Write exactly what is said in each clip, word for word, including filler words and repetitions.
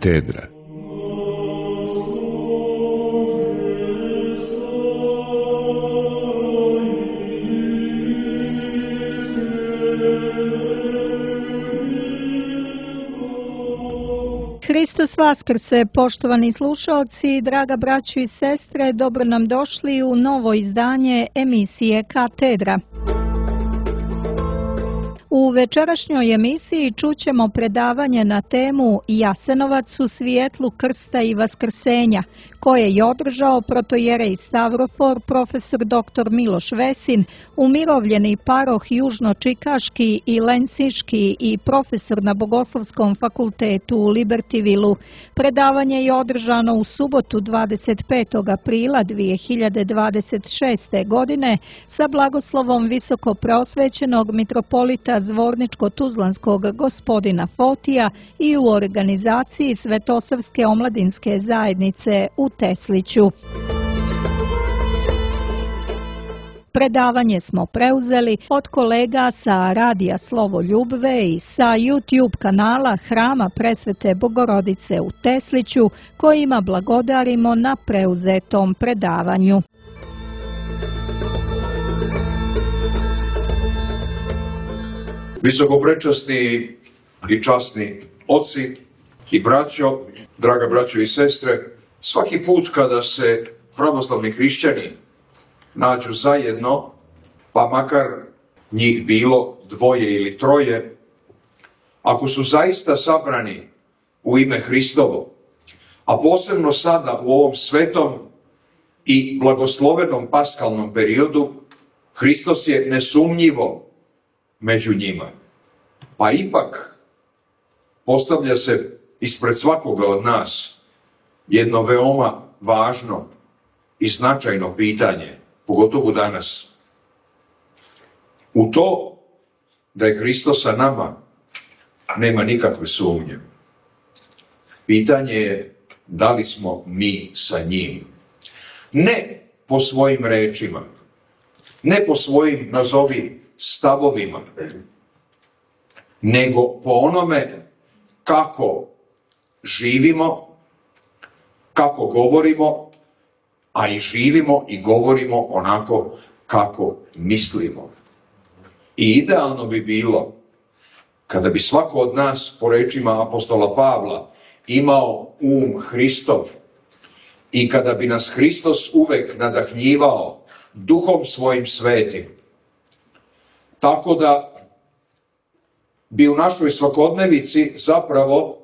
Katedra. Hristos Vaskrse, poštovani slušalci, draga braćo i sestre, dobro nam došli u novo izdanje emisije Katedra. U večerašnjoj emisiji čućemo predavanje na temu Jasenovac u svijetlu krsta i vaskrsenja, koje je održao protojerej Stavrofor, profesor doktor Miloš Vesin, umirovljeni paroh Južno-Čikaški i Lensinški i profesor na Bogoslovskom fakultetu u Libertyvilu. Predavanje je održano u subotu dvadeset petog aprila dvije hiljade dvadeset šeste. godine sa blagoslovom visoko preosvećenog mitropolita Zvorničko-Tuzlanskog gospodina Fotija i u organizaciji Svetosavske omladinske zajednice u Tesliću. Predavanje smo preuzeli od kolega sa Radija Slovo Ljubve i sa YouTube kanala Hrama Presvete Bogorodice u Tesliću, kojima blagodarimo na preuzetom predavanju. Visokoprečasni i časni oci i braćo, draga braćo i sestre, svaki put kada se pravoslavni hrišćani nađu zajedno, pa makar njih bilo dvoje ili troje, ako su zaista sabrani u ime Hristovo, a posebno sada u ovom svetom i blagoslovenom paskalnom periodu, Hristos je nesumnjivo među njima. Pa ipak postavlja se ispred svakoga od nas jedno veoma važno i značajno pitanje, pogotovo danas. U to da je Hristos sa nama nema nikakve sumnje. Pitanje je da li smo mi sa njim. Ne po svojim rečima, ne po svojim, nazovi, stavovima, nego po onome kako živimo, kako govorimo, a i živimo i govorimo onako kako mislimo. I idealno bi bilo kada bi svako od nas, po rečima apostola Pavla, imao um Hristov i kada bi nas Hristos uvek nadahnjivao duhom svojim svetim, tako da bi u našoj svakodnevici zapravo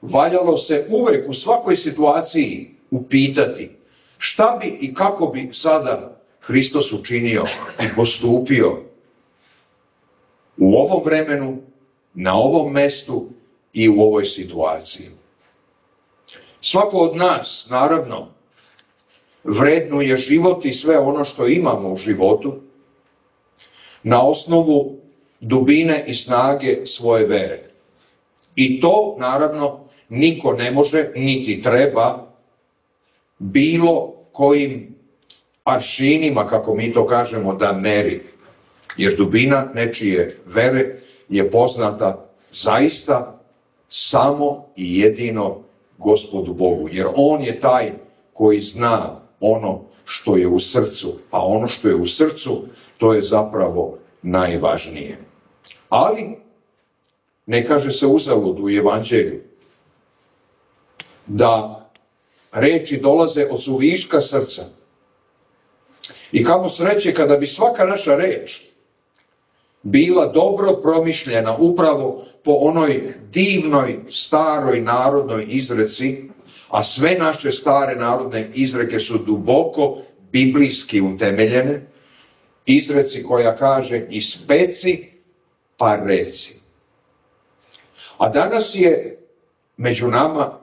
valjalo se uvek u svakoj situaciji upitati šta bi i kako bi sada Hristos učinio i postupio u ovom vremenu, na ovom mestu i u ovoj situaciji. Svako od nas, naravno, vrednuje život i sve ono što imamo u životu na osnovu dubine i snage svoje vere. I to, naravno, niko ne može, niti treba, bilo kojim aršinima, kako mi to kažemo, da meri. Jer dubina nečije vere je poznata zaista samo i jedino Gospodu Bogu. Jer On je taj koji zna ono što je u srcu, a ono što je u srcu, to je zapravo najvažnije. Ali ne kaže se uzalud u Evanđelju da reči dolaze od suviška srca. I kamo sreće kada bi svaka naša reč bila dobro promišljena upravo po onoj divnoj staroj narodnoj izreci, a sve naše stare narodne izreke su duboko biblijski utemeljene, izreci koja kaže ispeci pa reci. A danas je među nama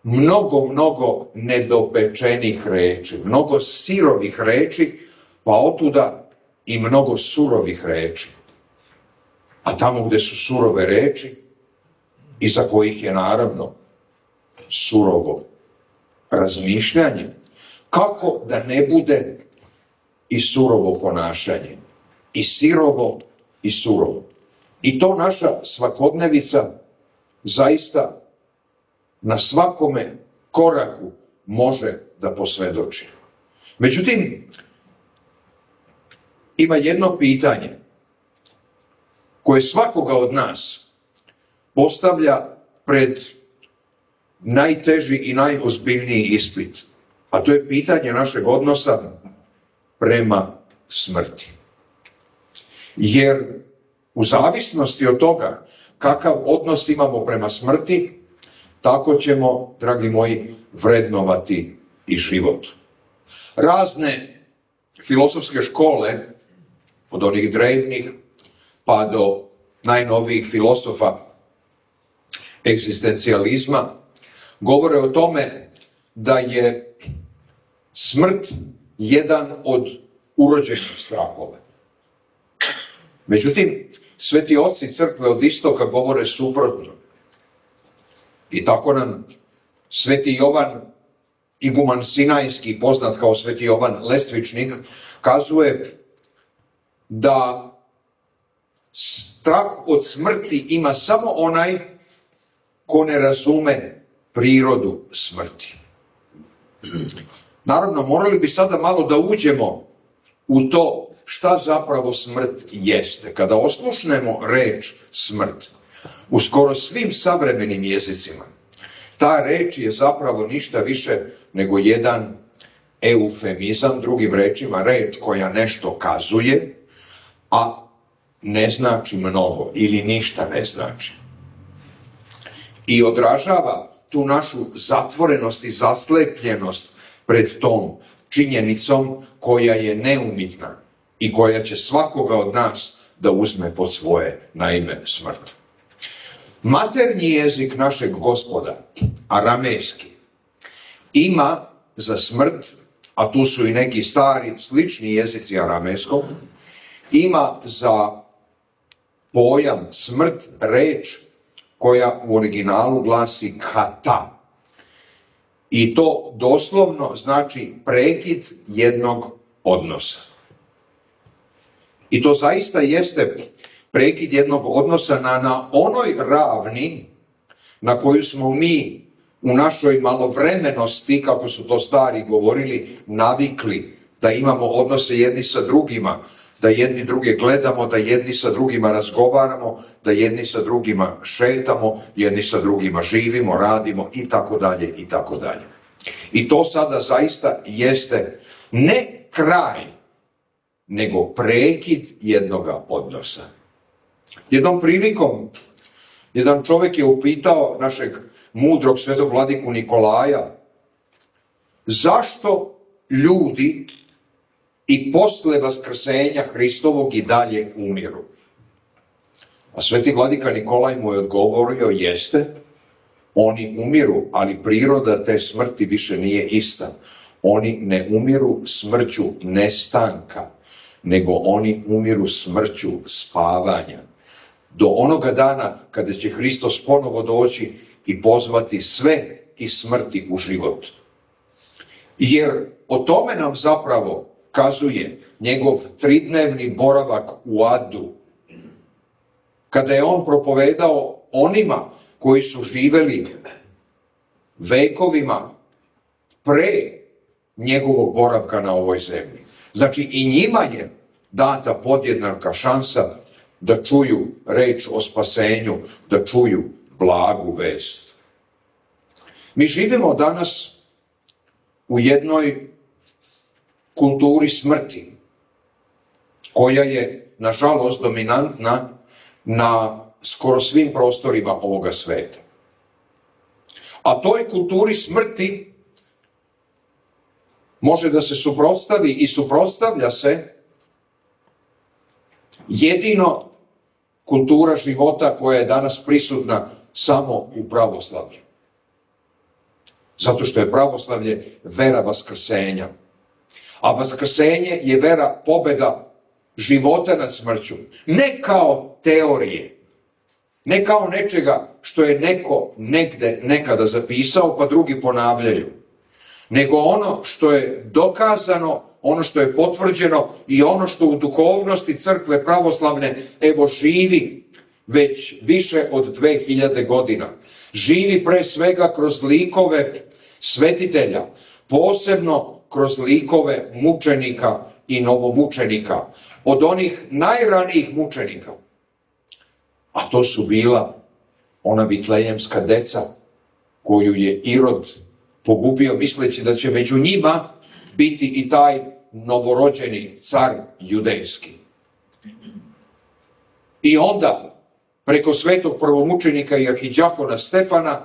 mnogo, mnogo nedopečenih reči, mnogo sirovih reči, pa otuda i mnogo surovih reči. A tamo gde su surove reči, iza kojih je naravno surovo razmišljanje, kako da ne bude i surovo ponašanje, i sirovo i surovo. I to naša svakodnevica zaista na svakome koraku može da posvedoči. Međutim, ima jedno pitanje koje svakoga od nas postavlja pred najteži i najozbiljniji ispit, a to je pitanje našeg odnosa prema smrti. Jer u zavisnosti od toga kakav odnos imamo prema smrti, tako ćemo, dragi moji, vrednovati i život. Razne filozofske škole, od onih drevnih pa do najnovijih filosofa egzistencijalizma, govore o tome da je smrt jedan od urođenih strahova. Međutim, sveti oci crkve od istoka govore suprotno. I tako nam sveti Jovan Iguman Sinajski, poznat kao sveti Jovan Lestvičnik, kazuje da strah od smrti ima samo onaj ko ne razume prirodu smrti. Naravno, morali bi sada malo da uđemo u to šta zapravo smrt jeste. Kada oslušnemo reč smrt u skoro svim savremenim jezicima, ta reč je zapravo ništa više nego jedan eufemizam, drugim rečima reč koja nešto kazuje, a ne znači mnogo ili ništa ne znači. I odražava tu našu zatvorenost i zaslepljenost pred tom činjenicom koja je neumitna i koja će svakoga od nas da uzme pod svoje, na ime smrt. Maternji jezik našeg Gospoda, aramejski, ima za smrt, a tu su i neki stari slični jezici aramejskog, ima za pojam smrt reč koja u originalu glasi kata. I to doslovno znači prekid jednog odnosa. I to zaista jeste prekid jednog odnosa na, na onoj ravni na koju smo mi u našoj malovremenosti, kako su to stari govorili, navikli da imamo odnose jedni sa drugima, da jedni druge gledamo, da jedni sa drugima razgovaramo, da jedni sa drugima šetamo, jedni sa drugima živimo, radimo i tako dalje i tako dalje. I to sada zaista jeste ne kraj, nego prekid jednoga odnosa. Jednom prilikom, jedan čovjek je upitao našeg mudrog svetog vladiku Nikolaja, zašto ljudi i posle vaskrsenja Hristovog i dalje umiru? A sveti vladika Nikolaj mu je odgovorio, jeste, oni umiru, ali priroda te smrti više nije ista. Oni ne umiru smrću nestanka, nego oni umiru smrću spavanja. Do onoga dana kada će Hristos ponovo doći i pozvati sve iz smrti u život. Jer o tome nam zapravo kazuje njegov tridnevni boravak u adu, kada je on propovedao onima koji su živeli vekovima pre njegovog boravka na ovoj zemlji. Znači i njima je data podjednaka šansa da čuju reč o spasenju, da čuju blagu vest. Mi živimo danas u jednoj kulturi smrti, koja je, nažalost, dominantna na skoro svim prostorima ovoga sveta. A toj kulturi smrti može da se suprotstavi i suprotstavlja se jedino kultura života koja je danas prisutna samo u pravoslavlju. Zato što je pravoslavlje vera vaskrsenja. A vaskrsenje je vera pobeda života nad smrću. Ne kao teorije, ne kao nečega što je neko negde nekada zapisao pa drugi ponavljaju, nego ono što je dokazano, ono što je potvrđeno i ono što u duhovnosti crkve pravoslavne evo živi već više od dve hiljade godina. Živi pre svega kroz likove svetitelja, posebno kroz likove mučenika i novomučenika, od onih najranijih mučenika. A to su bila ona vitlejemska deca koju je Irod pogubio misleći da će među njima biti i taj novorođeni car judejski. I onda, preko svetog prvomučenika i arhidjakona Stefana,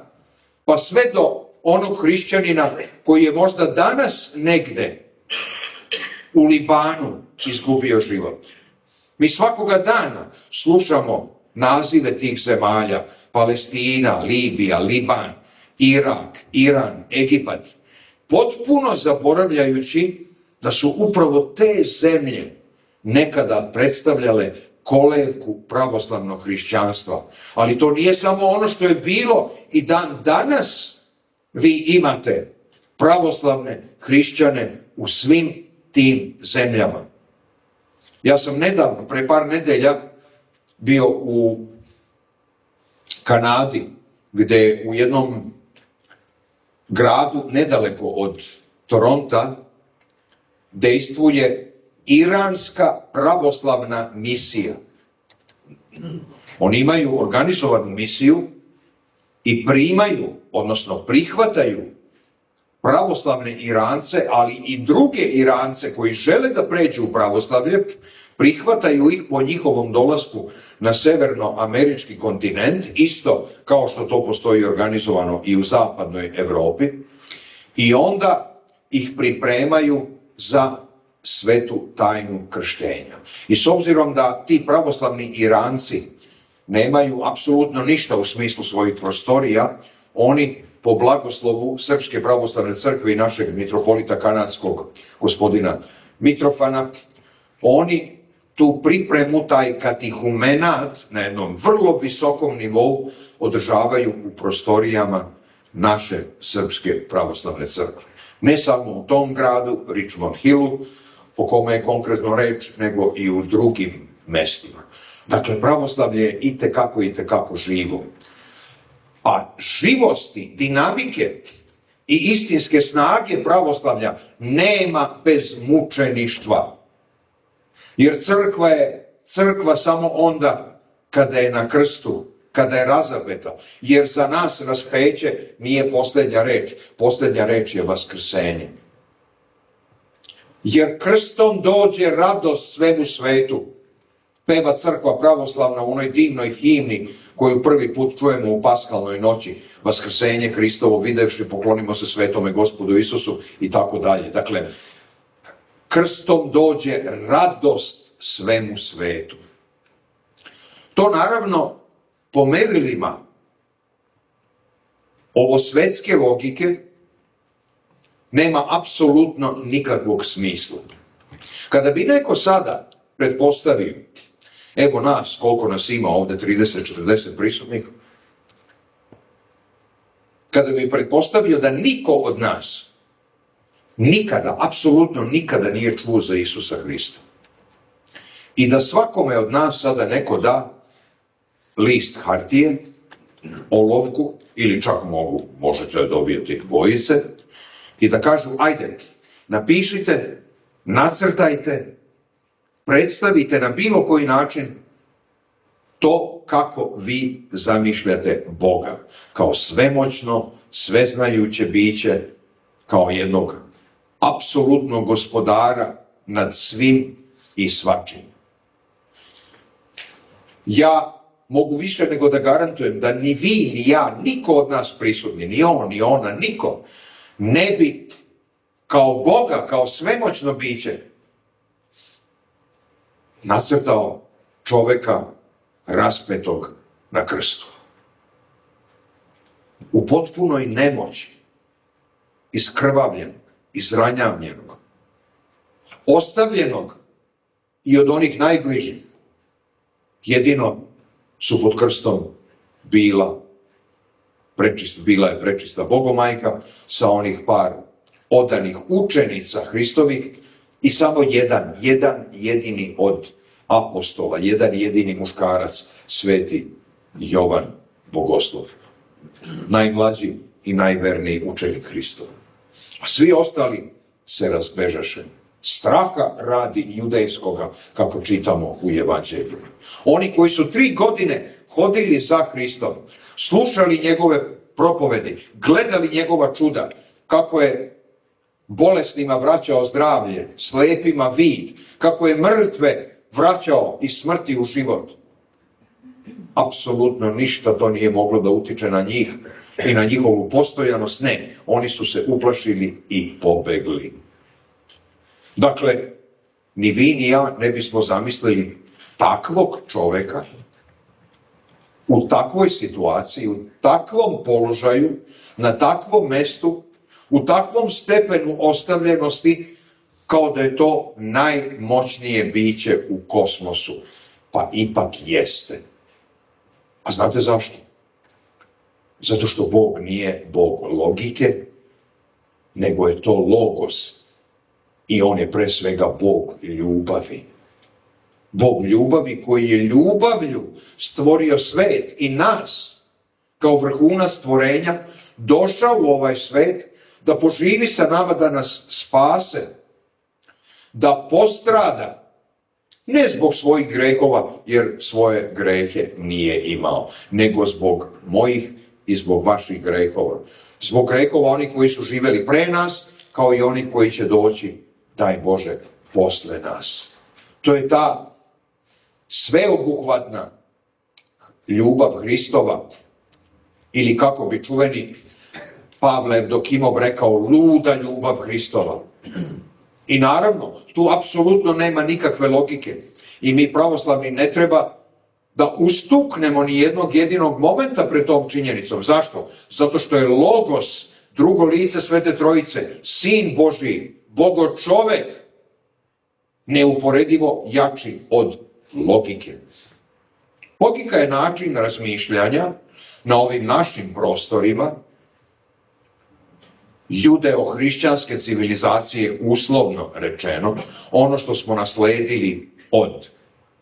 pa sve do onog hrišćanina koji je možda danas negde u Libanu izgubio život. Mi svakoga dana slušamo nazive tih zemalja: Palestina, Libija, Liban, Irak, Iran, Egipat, potpuno zaboravljajući da su upravo te zemlje nekada predstavljale kolevku pravoslavnog hrišćanstva. Ali to nije samo ono što je bilo, i dan danas vi imate pravoslavne hrišćane u svim tim zemljama. Ja sam nedavno, pre par nedelja, bio u Kanadi, gde u jednom gradu nedaleko od Toronta dejstvuje iranska pravoslavna misija. Oni imaju organizovanu misiju i primaju, odnosno prihvataju pravoslavne Irance, ali i druge Irance koji žele da pređu u pravoslavlje, prihvataju ih po njihovom dolasku na severnoamerički kontinent, isto kao što to postoji organizovano i u zapadnoj Evropi, i onda ih pripremaju za svetu tajnu krštenja. I s obzirom da ti pravoslavni Iranci nemaju apsolutno ništa u smislu svojih prostorija, oni po blagoslovu Srpske pravoslavne crkve i našeg mitropolita kanadskog gospodina Mitrofana, oni tu pripremu, taj katehumenat na jednom vrlo visokom nivou održavaju u prostorijama naše Srpske pravoslavne crkve. Ne samo u tom gradu, Richmond Hillu, po kome je konkretno reč, nego i u drugim mestima. Dakle, pravoslavlje je itekako, itekako živo. A živosti, dinamike i istinske snage pravoslavlja nema bez mučeništva. Jer crkva je crkva samo onda kada je na krstu, kada je razapeta. Jer za nas raspeće nije posljednja reč. Posljednja reč je vaskrsenje. Jer krstom dođe radost svemu svetu. Peva crkva pravoslavna u onoj divnoj himni koju prvi put čujemo u paskalnoj noći. Vaskrsenje Hristovo videvši, poklonimo se svetome Gospodu Isusu i tako dalje. Dakle, krstom dođe radost svemu svetu. To naravno po merilima ovo svetske logike nema apsolutno nikakvog smisla. Kada bi neko sada pretpostavio, evo nas, koliko nas ima ovde, trideset četrdeset prisutnih, kada bi pretpostavio da niko od nas nikada, apsolutno nikada nije čuo za Isusa Hrista, i da svakome od nas sada neko da list hartije, olovku, ili čak mogu, možete dobijeti bojice, i da kažu, ajde, napišite, nacrtajte, predstavite na bilo koji način to kako vi zamišljate Boga, kao svemoćno, sveznajuće biće, kao jednog apsolutnog gospodara nad svim i svačim. Ja mogu više nego da garantujem da ni vi, ni ja, niko od nas prisutni, ni on, ni ona, niko, ne bi kao Boga, kao svemoćno biće nacrtao čoveka raspetog na krstu. U potpunoj nemoći, iskrvavljenog, izranjavljenog, ostavljenog i od onih najbližih. Jedino su pod krstom bila prečista, bila je prečista Bogomajka sa onih par odanih učenica Hristovih i samo jedan, jedan jedini od apostola, jedan jedini muškarac, sveti Jovan Bogoslov. najmlađi i najverniji učenik Hristov. A svi ostali se razbežaše. Straha radi judejskoga, kako čitamo u Evanđelju. Oni koji su tri godine hodili za Hristom, slušali njegove propovedi, gledali njegova čuda, kako je bolesnima vraćao zdravlje, slepima vid, kako je mrtve vraćao iz smrti u život. Apsolutno ništa to nije moglo da utiče na njih i na njihovu postojanost. Ne, oni su se uplašili i pobegli. Dakle, ni vi ni ja ne bismo zamislili takvog čoveka u takvoj situaciji, u takvom položaju, na takvom mestu, u takvom stepenu ostavljenosti, kao da je to najmoćnije biće u kosmosu. Pa ipak jeste. A znate zašto? Zato što Bog nije Bog logike, nego je to logos. I on je pre svega Bog ljubavi. Bog ljubavi koji je ljubavlju stvorio svet i nas, kao vrhunac stvorenja, došao u ovaj svet da poživi sa nama, da nas spase, da postrada, ne zbog svojih grehova, jer svoje grehe nije imao, nego zbog mojih i zbog vaših grehova. Zbog grehova onih koji su živeli pre nas, kao i oni koji će doći, daj Bože, posle nas. To je ta sveobuhvatna ljubav Hristova, ili kako bi čuveni Pavle Evdokimov rekao, luda ljubav Hristova. I naravno, tu apsolutno nema nikakve logike. I mi pravoslavni ne treba da ustuknemo ni jednog jedinog momenta pred tom činjenicom. Zašto? Zato što je Logos, drugo lice Svete Trojice, Sin Božji, Bogo čovek, neuporedivo jači od logike. Logika je način razmišljanja na ovim našim prostorima judeo-hrišćanske civilizacije, uslovno rečeno, ono što smo nasledili od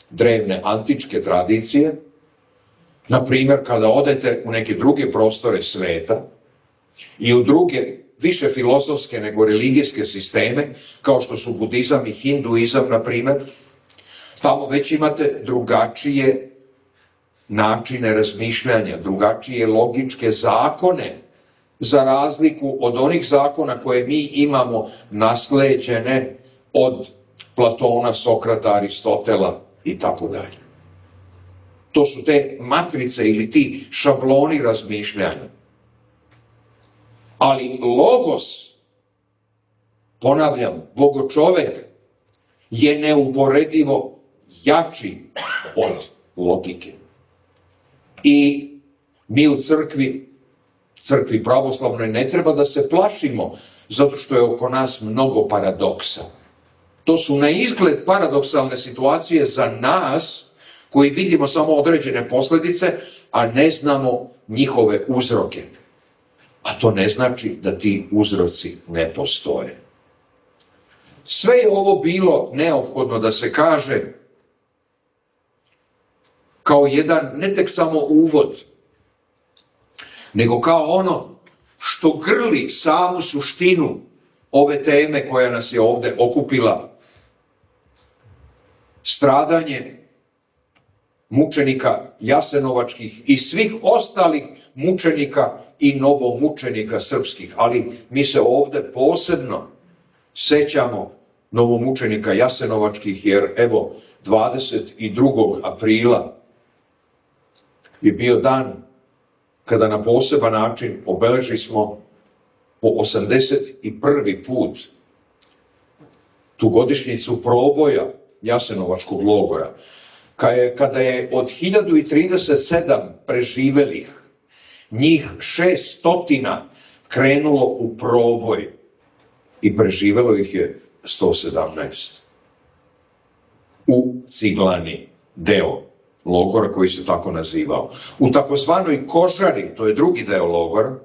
drevne antičke tradicije. Na primjer, kada odete u neke druge prostore sveta i u druge više filozofske nego religijske sisteme, kao što su budizam i hinduizam, na primjer, tamo već imate drugačije načine razmišljanja, drugačije logičke zakone, za razliku od onih zakona koje mi imamo nasleđene od Platona, Sokrata, Aristotela i tako dalje. To su te matrice ili ti šabloni razmišljanja. Ali Logos, ponavljam, Bogočovek, je neuporedivo jači od logike. I mi u crkvi, crkvi pravoslavnoj, ne treba da se plašimo, zato što je oko nas mnogo paradoksa. To su na izgled paradoksalne situacije za nas, koji vidimo samo određene posljedice, a ne znamo njihove uzroke. A to ne znači da ti uzroci ne postoje. Sve je ovo bilo neophodno da se kaže kao jedan, ne tek samo uvod, nego kao ono što grli samu suštinu ove teme koja nas je ovde okupila. Stradanje mučenika jasenovačkih i svih ostalih mučenika i novomučenika srpskih. Ali mi se ovde posebno sećamo novomučenika jasenovačkih, jer evo dvadeset drugog aprila je bio dan kada na poseban način obeleži smo po osamdeset prvi put tu godišnjicu proboja jasenovačkog logora, kada je od hiljadu trideset sedam preživelih njih šeststotina krenulo u proboj i preživelo ih je sto sedamnaest. U Ciglani, deo logora koji se tako nazivao. U takozvanoj Kožari, to je drugi deo logora,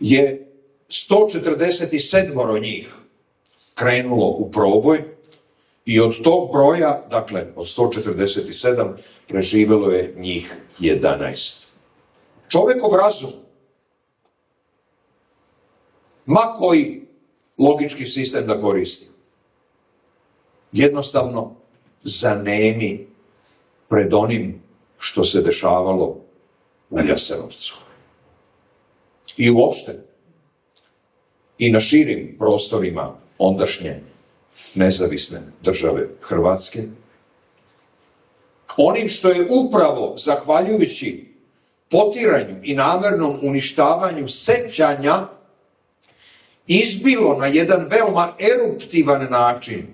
je sto četrdeset sedam njih krenulo u proboj i od tog broja, dakle od sto četrdeset sedam, preživelo je njih jedanaest. Čovekov razum, ma koji logički sistem da koristi, jednostavno zanemi pred onim što se dešavalo na Jasenovcu. I uopšte, i na širim prostorima ondašnje nezavisne države Hrvatske, onim što je upravo zahvaljujući potiranju i namernom uništavanju sećanja izbilo na jedan veoma eruptivan način,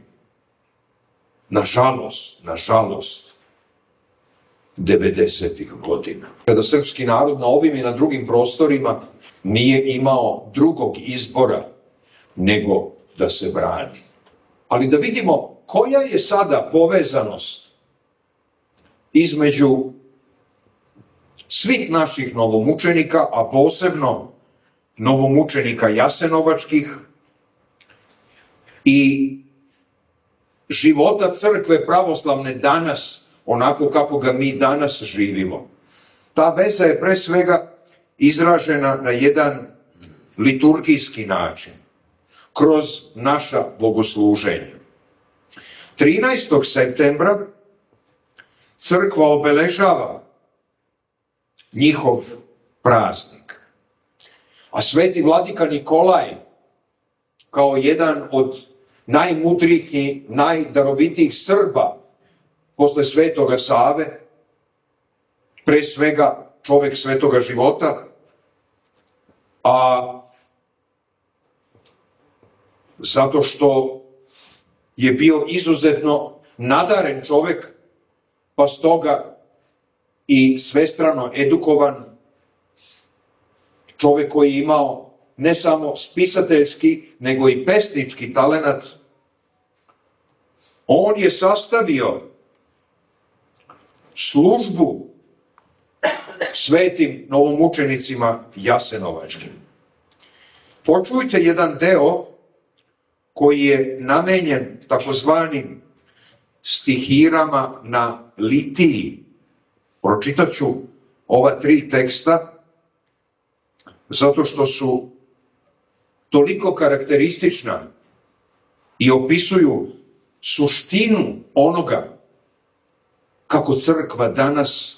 nažalost, nažalost, devedesetih godina. Kada srpski narod na ovim i na drugim prostorima nije imao drugog izbora nego da se brani. Ali da vidimo koja je sada povezanost između svih naših novomučenika, a posebno novomučenika jasenovačkih i života crkve pravoslavne danas, onako kako ga mi danas živimo. Ta veza je pre svega izražena na jedan liturgijski način, kroz naša bogosluženja. trinaestog septembra crkva obeležava njihov praznik, a sveti vladika Nikolaj, kao jedan od najmudrijih i najdarovitijih Srba posle Svetoga Save, pre svega čovek svetoga života, a zato što je bio izuzetno nadaren čovek, pa stoga i svestrano edukovan, čovek koji je imao ne samo spisateljski, nego i pesnički talenat, on je sastavio službu svetim novomučenicima jasenovačkim. Počujte jedan deo koji je namenjen takozvanim stihirama na litiji. Pročitat ću ova tri teksta, zato što su toliko karakteristična i opisuju suštinu onoga kako crkva danas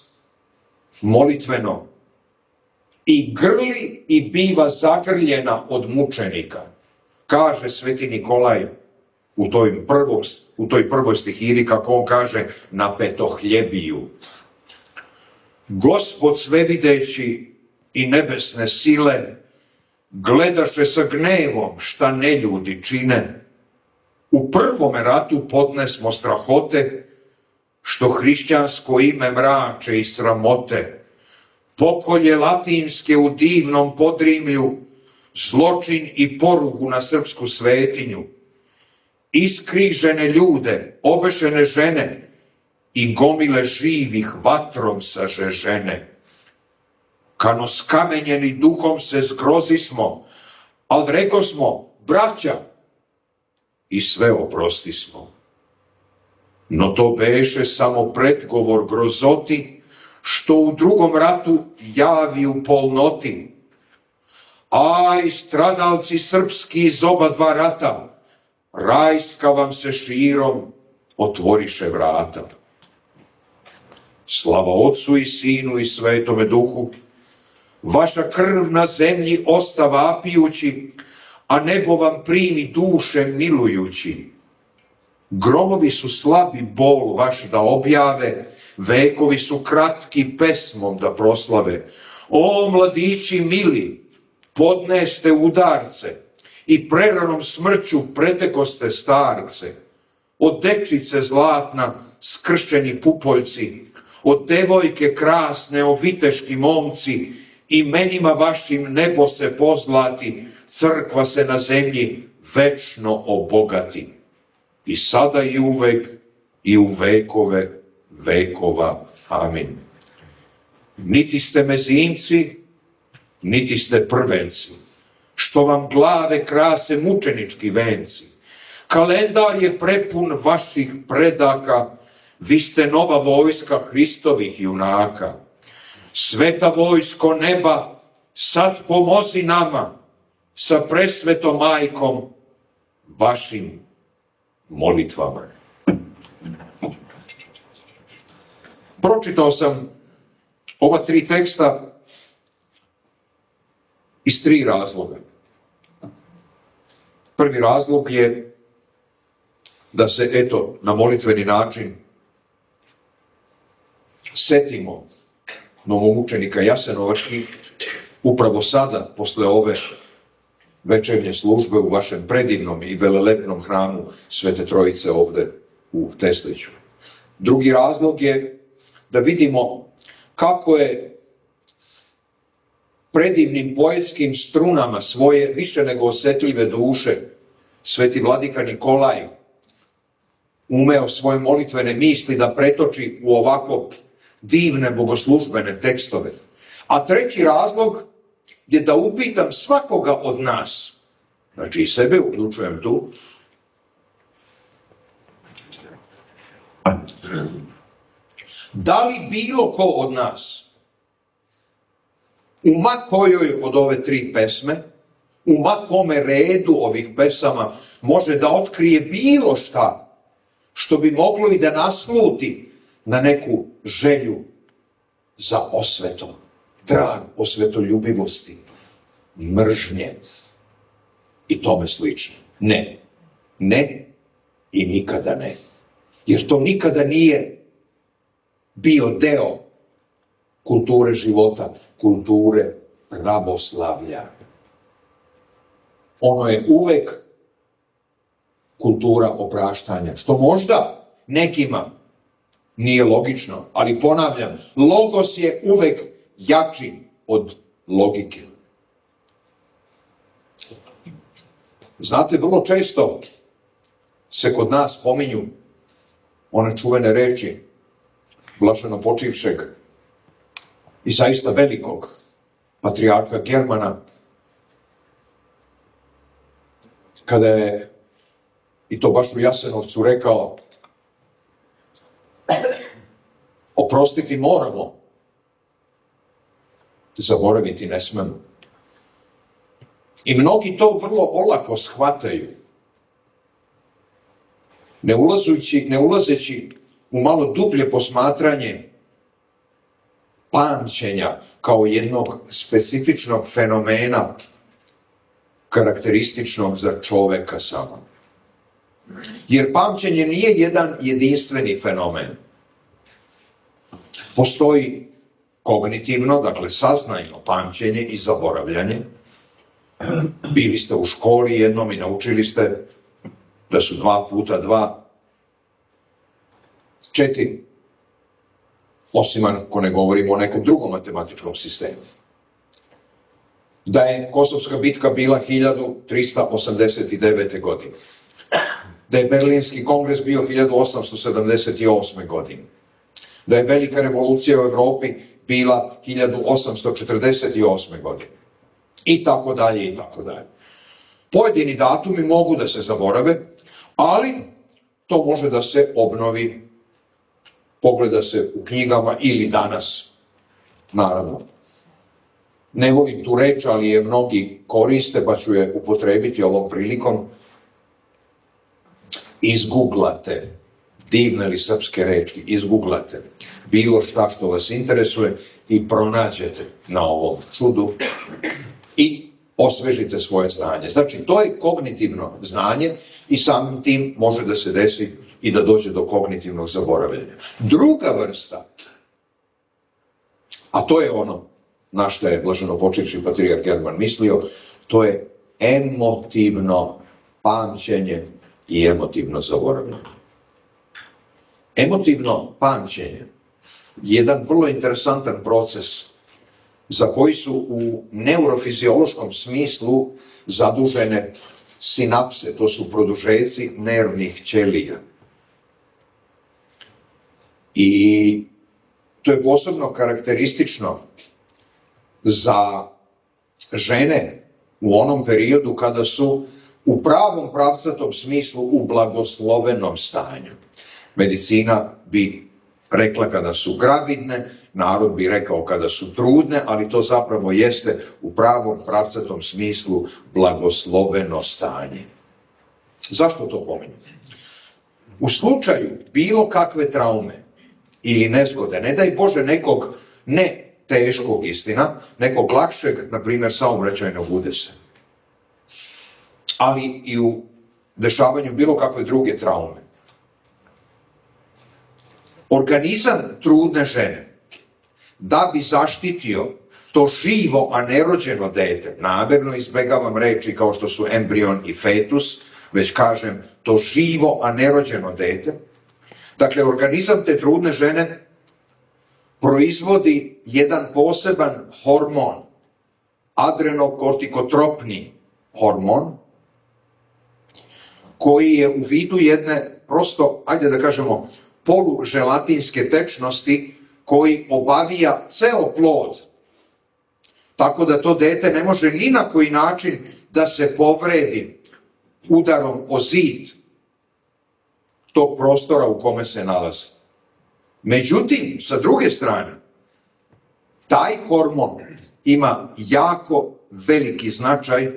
molitveno i grli i biva zagrljena od mučenika. Kaže sveti Nikolaj u toj, prvog, u toj prvoj stihiri, kako on kaže, na petohljebiju. Gospod svevideći i nebesne sile gledaše sa gnevom šta neljudi čine. U prvome ratu podnesmo strahote, što hrišćansko ime mrače i sramote. Pokolje latinske u divnom Podrimlju, zločin i porugu na srpsku svetinju. Iskrižene ljude, obešene žene i gomile živih vatrom sažežene. Kano skamenjeni duhom se zgrozismo, al rekosmo, braća, i sve oprostismo. No to beše samo predgovor grozoti, što u drugom ratu javi u polnoti. Aj, stradalci srpski iz oba dva rata, rajska vam se širom otvoriše vrata. Slava Otcu i Sinu i Svetome Duhu, vaša krv na zemlji osta vapijući, a nebo vam primi duše milujući. Gromovi su slabi bol vaš da objave, vekovi su kratki pesmom da proslave. O, mladići mili, podneste udarce i preranom smrću pretekoste starce. Od dečice zlatna skršćeni pupoljci, od devojke krasne oviteški momci, imenima vašim nebo se pozlati, crkva se na zemlji večno obogati. I sada i uvek i u vekove vekova. Amin. Niti ste mezinci, niti ste prvenci, što vam glave krase mučenički venci. Kalendar je prepun vaših predaka, vi ste nova vojska Hristovih junaka. Sveta vojsko neba, sad pomozi nama sa presvetom majkom vašim molitvama. Pročitao sam ova tri teksta iz tri razloga. Prvi razlog je da se, eto, na molitveni način setimo novomučenika Jasenovačkih upravo sada, posle ove večernje službe u vašem predivnom i velelepnom hramu Svete Trojice ovde u Tesliću. Drugi razlog je da vidimo kako je predivnim poetskim strunama svoje više nego osetljive duše Sveti vladika Nikolaj umeo svoje molitvene misli da pretoči u ovako divne bogoslužbene tekstove. A treći razlog je da upitam svakoga od nas, znači i sebe uključujem tu, da li bilo ko od nas u ma kojoj od ove tri pesme, u ma kome redu ovih pesama može da otkrije bilo šta što bi moglo i da nasluti na neku želju za osvetom, trag osvetoljubivosti, mržnje i tome slično. Ne, ne i nikada ne. Jer to nikada nije bio deo kulture života, kulture pravoslavlja. Ono je uvek kultura opraštanja, što možda nekima nije logično, ali ponavljam, logos je uvek jači od logike. Znate, vrlo često se kod nas pominju one čuvene reči blaženo počivšeg i zaista velikog patrijarha Germana, kada je, i to baš u Jasenovcu, rekao: oprostiti moramo, zaboraviti ne smemo. I mnogi to vrlo olako shvataju, ne ulazeći, ne ulazeći u malo dublje posmatranje pamćenja kao jednog specifičnog fenomena karakterističnog za čoveka samo. Jer pamćenje nije jedan jedinstveni fenomen. Postoji kognitivno, dakle saznajno pamćenje i zaboravljanje. Bili ste u školi jednom i naučili ste da su dva puta dva četiri. Osim ako ne govorimo o nekom drugom matematičkom sistemu. Da je Kosovska bitka bila hiljadu trista osamdeset devete. godine. Da je Berlinski kongres bio hiljadu osamsto sedamdeset osme. godine. Da je velika revolucija u Evropi bila hiljadu osamsto četrdeset osme. godine. I tako dalje, i tako dalje. Pojedini datumi mogu da se zaborave, ali to može da se obnovi, pogleda se u knjigama ili danas, naravno. Ne volim tu reč, ali je mnogi koriste, pa ću je upotrebiti ovom prilikom. Izguglate, divne li srpske reči, izguglate bilo šta što vas interesuje i pronađete na ovom čudu i osvežite svoje znanje. Znači, to je kognitivno znanje i samim tim može da se desi i da dođe do kognitivnog zaboravljanja. Druga vrsta, a to je ono na što je blaženopočivši patrijarh German mislio, to je emotivno pamćenje i emotivno zaboravljanje. Emotivno pamćenje je jedan vrlo interesantan proces za koji su u neurofiziološkom smislu zadužene sinapse, to su produžeci nervnih ćelija. I to je posebno karakteristično za žene u onom periodu kada su u pravom pravcatom smislu u blagoslovenom stanju. Medicina bi rekla kada su gravidne narod bi rekao kada su trudne, ali to zapravo jeste u pravom pravcatom smislu blagosloveno stanje. Zašto to pominjem? U slučaju bilo kakve traume ili nezgode, ne daj Bože nekog ne teškog istina, nekog lakšeg, na primjer saobraćajnog udesa, ali i u dešavanju bilo kakve druge traume. Organizam trudne žene, da bi zaštitio to živo, a nerođeno dete, namerno izbegavam reči kao što su embrion i fetus, već kažem to živo, a nerođeno dete, dakle, organizam te trudne žene proizvodi jedan poseban hormon, adrenokortikotropni hormon, koji je u vidu jedne, prosto, ajde da kažemo, poluželatinske tečnosti, koji obavija ceo plod, tako da to dete ne može ni na koji način da se povredi udarom o zid tog prostora u kome se nalazi. Međutim, sa druge strane, taj hormon ima jako veliki značaj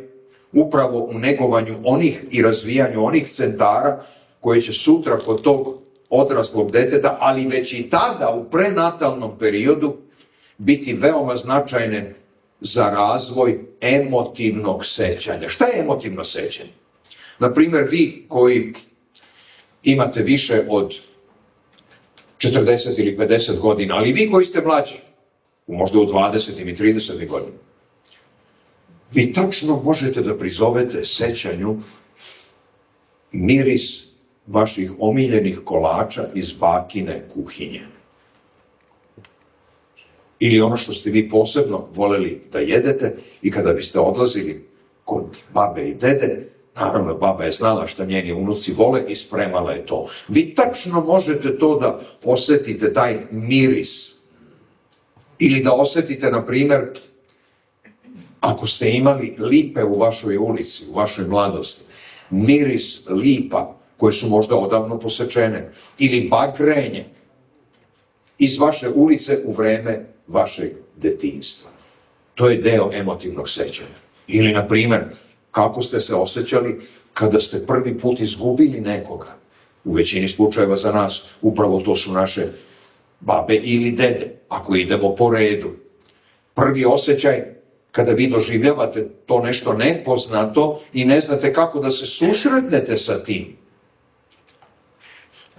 upravo u negovanju onih i razvijanju onih centara koje će sutra kod tog odraslog deteta, ali već i tada u prenatalnom periodu biti veoma značajne za razvoj emotivnog sećanja. Šta je emotivno sećanje? Naprimjer, vi koji imate više od četrdeset ili pedeset godina, ali vi koji ste mlađi, možda u dvadesetim i tridesetim godinama, vi tačno možete da prizovete sećanju miris vaših omiljenih kolača iz bakine kuhinje. Ili ono što ste vi posebno voleli da jedete i kada biste odlazili kod babe i dede, naravno baba je znala šta njeni unuci vole i spremala je to. Vi tačno možete to da osetite, taj miris. Ili da osetite, na primjer, ako ste imali lipe u vašoj ulici, u vašoj mladosti, miris lipa koje su možda odavno posečene, ili bagrenje iz vaše ulice u vreme vašeg detinjstva. To je deo emotivnog sećanja. Ili, na primjer, kako ste se osjećali kada ste prvi put izgubili nekoga. U većini slučajeva za nas upravo to su naše babe ili dede, ako idemo po redu. Prvi osjećaj kada vi doživljavate to nešto nepoznato i ne znate kako da se susretnete sa tim.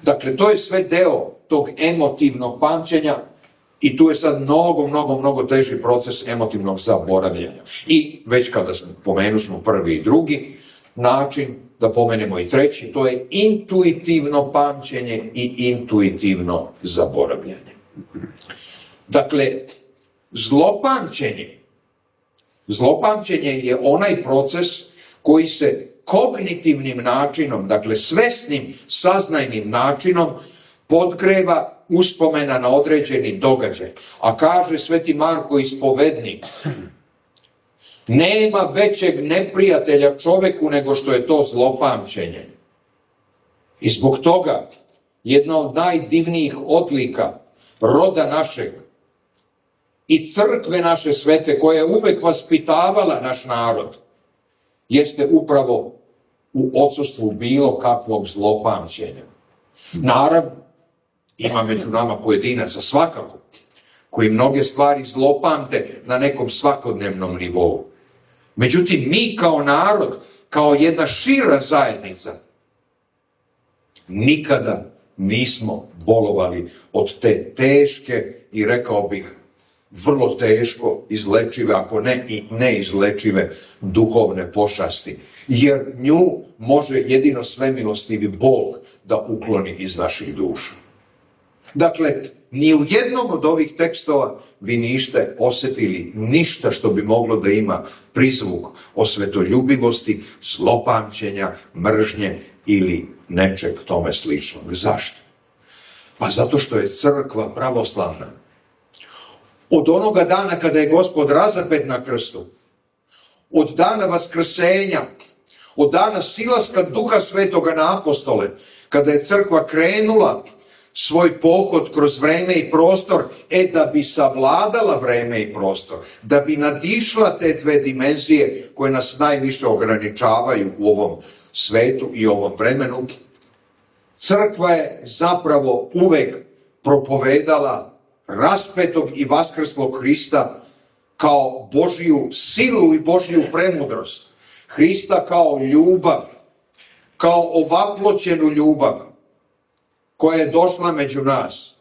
Dakle, to je sve deo tog emotivnog pamćenja i tu je sad mnogo, mnogo, mnogo teži proces emotivnog zaboravljanja. I već kada smo pomenuli smo prvi i drugi način, da pomenemo i treći, to je intuitivno pamćenje i intuitivno zaboravljanje. Dakle, zlopamćenje, zlopamćenje je onaj proces koji se kognitivnim načinom, dakle svesnim, saznajnim načinom, podgreva uspomena na određeni događaj. A kaže Sveti Marko ispovednik, nema većeg neprijatelja čoveku nego što je to zlopamćenje. I zbog toga jedna od najdivnijih odlika roda našeg i crkve naše svete, koja je uvek vaspitavala naš narod, jeste upravo u odsustvu bilo kakvog zlopamćenja. Naravno, ima među nama pojedinaca svakako, koji mnoge stvari zlopamte na nekom svakodnevnom nivou. Međutim, mi kao narod, kao jedna šira zajednica, nikada nismo bolovali od te teške i, rekao bih, vrlo teško izlečive, ako ne i neizlečive duhovne pošasti. Jer nju može jedino svemilostivi Bog da ukloni iz naših duša. Dakle, ni u jednom od ovih tekstova vi niste osjetili ništa što bi moglo da ima prizvuk osvetoljubivosti, zlopamćenja, mržnje ili nečeg tome sličnog. Zašto? Pa zato što je crkva pravoslavna od onoga dana kada je Gospod razapet na krstu, od dana vaskrsenja, od dana silaska Duha Svetoga na apostole, kada je crkva krenula svoj pohod kroz vreme i prostor, e da bi savladala vreme i prostor, da bi nadišla te dve dimenzije koje nas najviše ograničavaju u ovom svetu i ovom vremenu. Crkva je zapravo uvek propovedala raspetog i vaskrslog Hrista kao Božiju silu i Božiju premudrost. Hrista kao ljubav, kao ovaploćenu ljubav koja je došla među nas.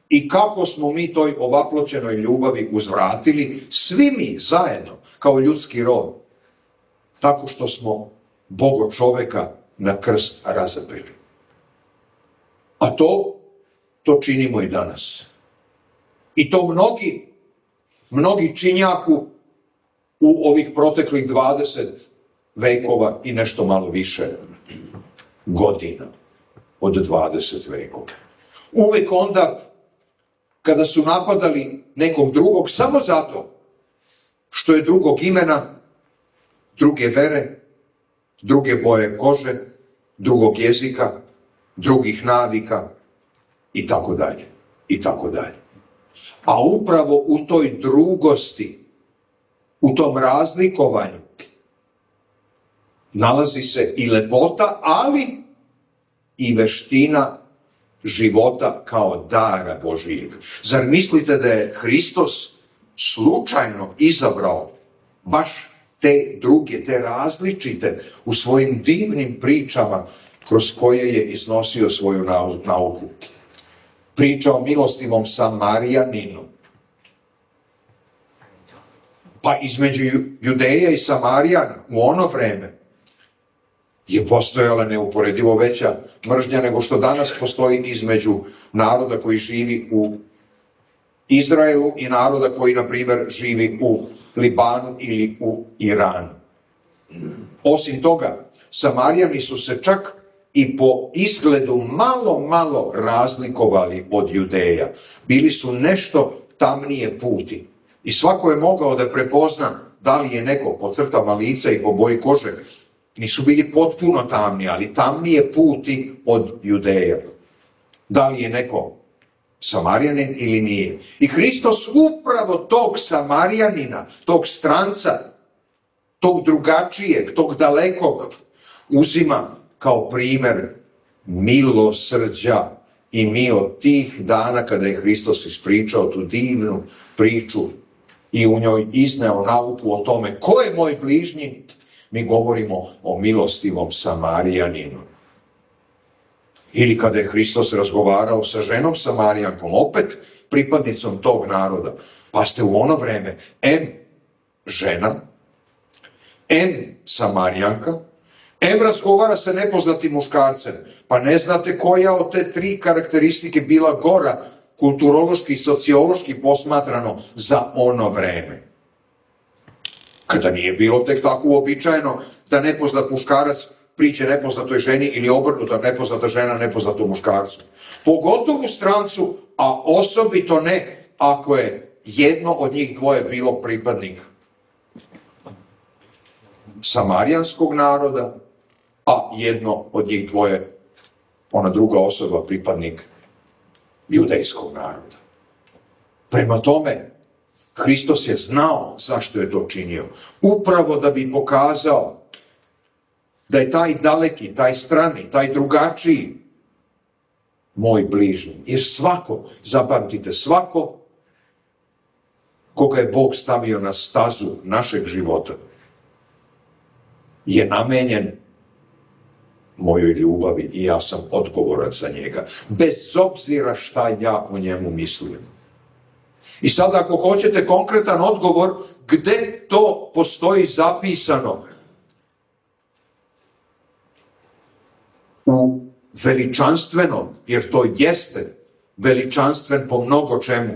I kako smo mi toj ovaploćenoj ljubavi uzvratili, svi mi zajedno, kao ljudski rod, tako što smo Boga čoveka na krst razapeli. A to, to činimo i danas. I to mnogi, mnogi činjaku u ovih proteklih dvadeset vekova i nešto malo više godina od dvadeset vekova. Uvek onda kada su napadali nekog drugog samo zato što je drugog imena, druge vere, druge boje kože, drugog jezika, drugih navika i tako dalje, i tako dalje. A upravo u toj drugosti, u tom razlikovanju, nalazi se i lepota, ali i veština života kao dara Božijeg. Zar mislite da je Hristos slučajno izabrao baš te druge, te različite u svojim divnim pričama kroz koje je iznosio svoju nauku? Priča o milostivom Samarijaninu. Pa između Judeja i Samarijana u ono vreme je postojala neuporedivo veća mržnja nego što danas postoji između naroda koji živi u Izraelu i naroda koji, na primjer, živi u Libanu ili u Iranu. Osim toga, Samarijani su se čak i po izgledu malo, malo razlikovali od Judeja. Bili su nešto tamnije puti. I svako je mogao da prepozna da li je neko po crtama lica i po boji kože. Nisu bili potpuno tamni, ali tamnije puti od Judeja. Da li je neko Samarijanin ili nije. I Hristos upravo tog Samarijanina, tog stranca, tog drugačijeg, tog dalekog, uzima kao primer milosrđa. I mi od tih dana kada je Hristos ispričao tu divnu priču i u njoj izneo nauku o tome ko je moj bližnji, mi govorimo o milostivom Samarijaninu. Ili kada je Hristos razgovarao sa ženom Samarijankom, opet pripadnicom tog naroda. Pa ste u ono vreme em žena, em Samarijanka, em razgovara sa nepoznatim muškarcem. Pa ne znate koja od te tri karakteristike bila gora, kulturološki i sociološki posmatrano, za ono vreme. Kada nije bilo tek tako uobičajeno da nepoznat muškarac priđe nepoznatoj ženi ili obrnuta nepoznata žena nepoznatom muškarcu. Pogotovo strancu, a osobito ne ako je jedno od njih dvoje bilo pripadnik samarijanskog naroda, a jedno od njih dvoje, ona druga osoba, pripadnik judejskog naroda. Prema tome, Hristos je znao zašto je to činio. Upravo da bi pokazao da je taj daleki, taj strani, taj drugačiji moj bližnji. Jer svako, zapamtite, svako koga je Bog stavio na stazu našeg života je namenjen mojoj ljubavi i ja sam odgovoran za njega. Bez obzira šta ja o njemu mislim. I sad ako hoćete konkretan odgovor, gde to postoji zapisano? U veličanstvenom, jer to jeste veličanstven po mnogo čemu,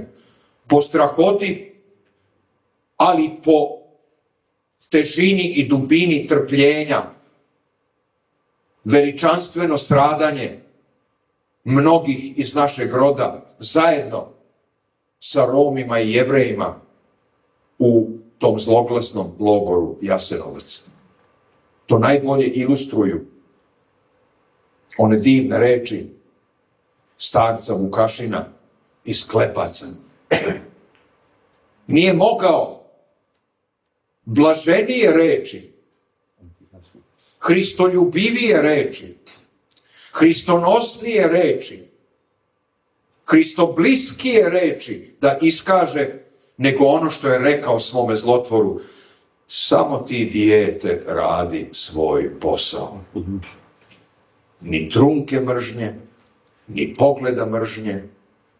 po strahoti, ali po težini i dubini trpljenja, veličanstveno stradanje mnogih iz našeg roda zajedno sa Romima i Jevrejima u tom zloglasnom logoru Jasenovac. To najbolje ilustruju one divne reči starca Vukašina iz Klepaca. Nije mogao blaženije reči, hristoljubivije reči, hristonosnije reči, hristobliskije reči da iskaže nego ono što je rekao svome zlotvoru: samo ti, dijete, radi svoj posao. Ni trunke mržnje, ni pogleda mržnje,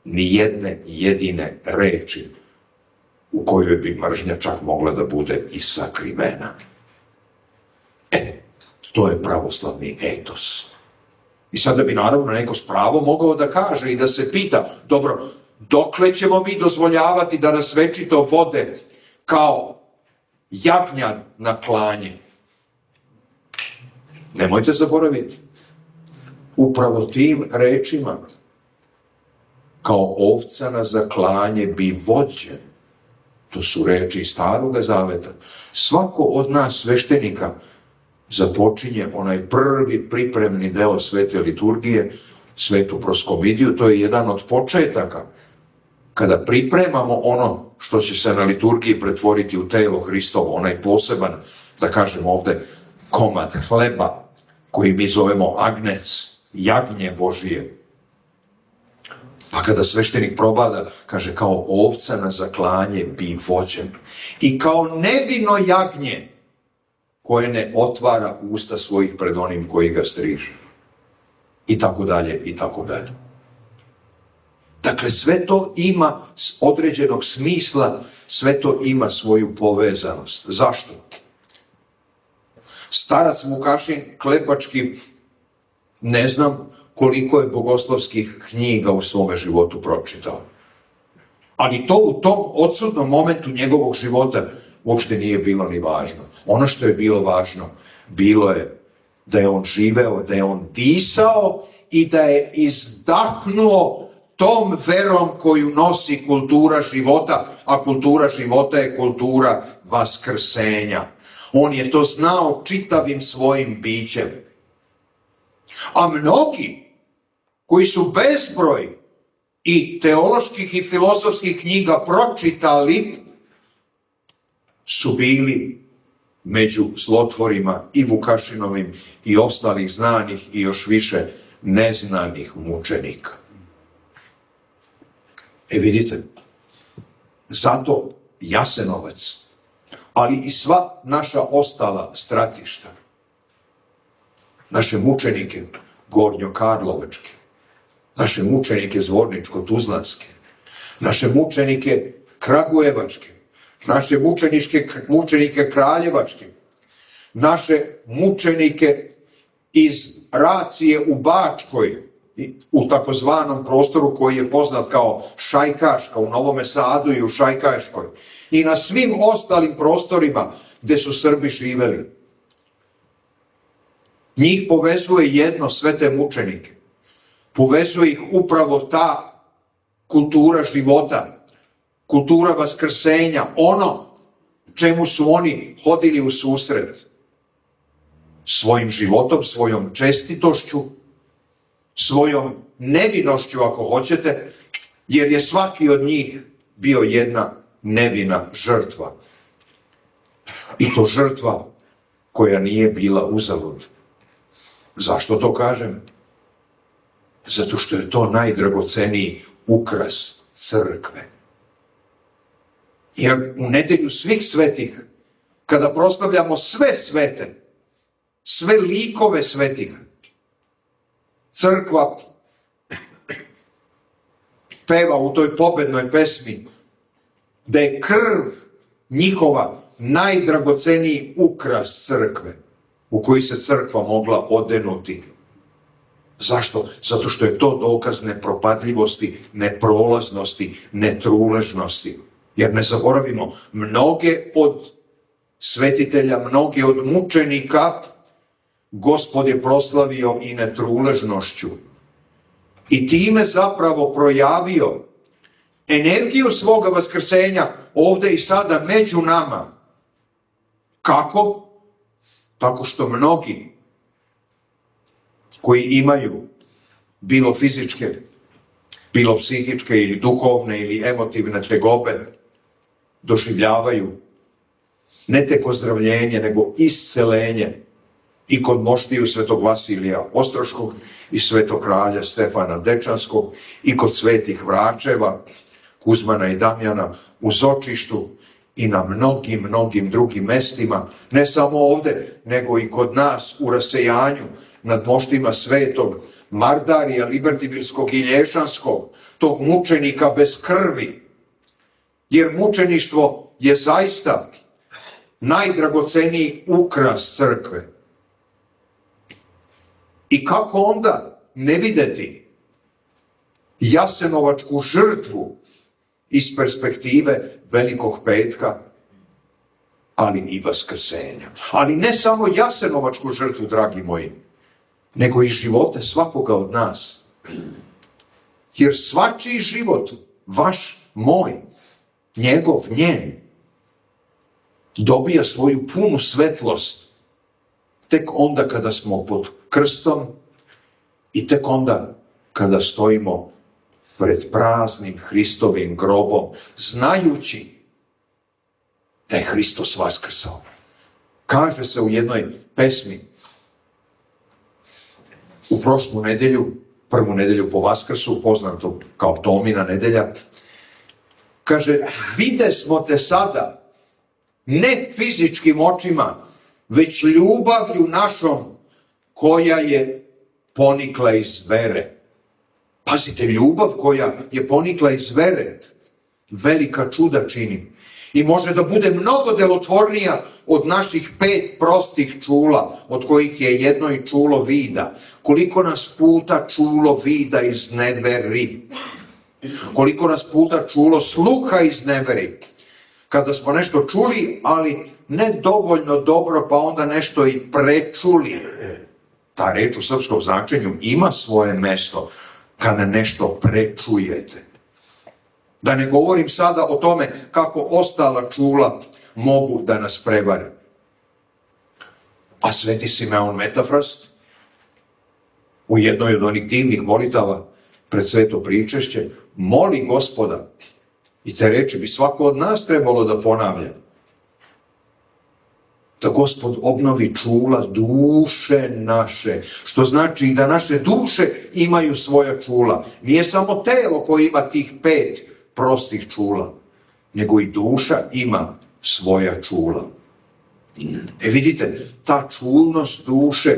ni jedne jedine reči u kojoj bi mržnja čak mogla da bude i sakrivena. E, to je pravoslavni etos. I sada bi naravno neko s pravom mogao da kaže i da se pita: dobro, dokle ćemo mi dozvoljavati da nas večito vode kao jagnja na klanje? Nemojte zaboraviti, upravo tim rečima: kao ovca na zaklanje bi vođen. To su reči iz Staroga Zaveta. Svako od nas sveštenika započinje onaj prvi pripremni deo svete liturgije, svetu proskomidiju. To je jedan od početaka kada pripremamo ono što će se na liturgiji pretvoriti u telo Hristovo, onaj poseban, da kažem ovde, komad hleba koji mi zovemo agnec, jagnje Božije. Pa kada sveštenik probada, kaže: kao ovca na zaklanje bi vođen. I kao nevino jagnje koje ne otvara usta svojih pred onim koji ga striže. I tako dalje, i tako dalje. Dakle, sve to ima određenog smisla, sve to ima svoju povezanost. Zašto? Starac Vukašin Klepački, ne znam koliko je bogoslovskih knjiga u svome životu pročitao. Ali to u tom odsutnom momentu njegovog života uopšte nije bilo ni važno. Ono što je bilo važno, bilo je da je on živeo, da je on disao i da je izdahnuo tom verom koju nosi kultura života, a kultura života je kultura vaskrsenja. On je to znao čitavim svojim bićem. A mnogi koji su bezbroj i teoloških i filozofskih knjiga pročitali su bili među zlotvorima i Vukašinovim i ostalih znanih i još više neznanih mučenika. E vidite, zato Jasenovac, ali i sva naša ostala stratišta, naše mučenike Gornjokarlovačke, naše mučenike Zvorničko-Tuzlanske, naše mučenike Kragujevačke, naše mučeničke, mučenike Kraljevačke, naše mučenike iz Racije u Bačkoj, u takozvanom prostoru koji je poznat kao Šajkaška u Novome Sadu i u Šajkaškoj, i na svim ostalim prostorima gde su Srbi živeli. Njih povezuje jedno, sve te mučenike. Povezuje ih upravo ta kultura života, kultura vaskrsenja, ono čemu su oni hodili u susret. Svojim životom, svojom čestitošću, svojom nevinošću, ako hoćete, jer je svaki od njih bio jedna nevina žrtva. I to žrtva koja nije bila uzalud. Zašto to kažem? Zato što je to najdragoceniji ukras crkve. Jer u nedelju svih svetih, kada proslavljamo sve svete, sve likove svetih, crkva peva u toj pobednoj pesmi da je krv njihova najdragoceniji ukras crkve u koji se crkva mogla odenuti. Zašto? Zato što je to dokaz nepropadljivosti, neprolaznosti, netruležnosti. Jer ne zaboravimo, mnoge od svetitelja, mnoge od mučenika Gospod je proslavio i netruležnošću. I time zapravo projavio energiju svoga vaskrsenja ovde i sada među nama. Kako? Tako što mnogi koji imaju bilo fizičke bilo psihičke ili duhovne ili emotivne tegobe, doživljavaju ne tek ozdravljenje, nego iscelenje i kod moštiju svetog Vasilija Ostroškog i svetog kralja Stefana Dečanskog i kod svetih Vračeva, Kuzmana i Damjana u Zočištu i na mnogim, mnogim drugim mestima, ne samo ovde, nego i kod nas u rasejanju nad moštima svetog Mardarija Libertibilskog i Lješanskog, tog mučenika bez krvi. Jer mučeništvo je zaista najdragoceniji ukras crkve. I kako onda ne videti jasenovačku žrtvu iz perspektive Velikog petka, ali i vaskrsenja. Ali ne samo jasenovačku žrtvu, dragi moji, nego i živote svakoga od nas. Jer svačiji život, vaš, moj, njegov, njen, dobija svoju punu svetlost tek onda kada smo pod krstom i tek onda kada stojimo pred praznim Hristovim grobom, znajući da je Hristos vaskrsao. Kaže se u jednoj pesmi, u prošlu nedelju, prvu nedelju po Vaskrsu, poznato kao Tomina nedelja, kaže, vide smo te sada, ne fizičkim očima, već ljubavlju našom, koja je ponikla iz vere. Pazite, ljubav koja je ponikla iz vere, velika čuda čini. I može da bude mnogo delotvornija od naših pet prostih čula, od kojih je jedno i čulo vida. Koliko nas puta čulo vida izneveri. Koliko nas puta čulo sluha izneveri. Kada smo nešto čuli, ali ne dovoljno dobro, pa onda nešto i prečuli. Ta reč u srpskom značenju ima svoje mesto kada nešto prečujete. Da ne govorim sada o tome kako ostala čula mogu da nas prevare. A sveti Simeon Metafrast u jednoj od onih divnih molitava pred sveto pričešće moli Gospoda, i te reči bi svako od nas trebalo da ponavlja, da Gospod obnovi čula duše naše, što znači da naše duše imaju svoja čula. Nije samo telo koje ima tih pet prostih čula, nego i duša ima svoja čula. E vidite, ta čulnost duše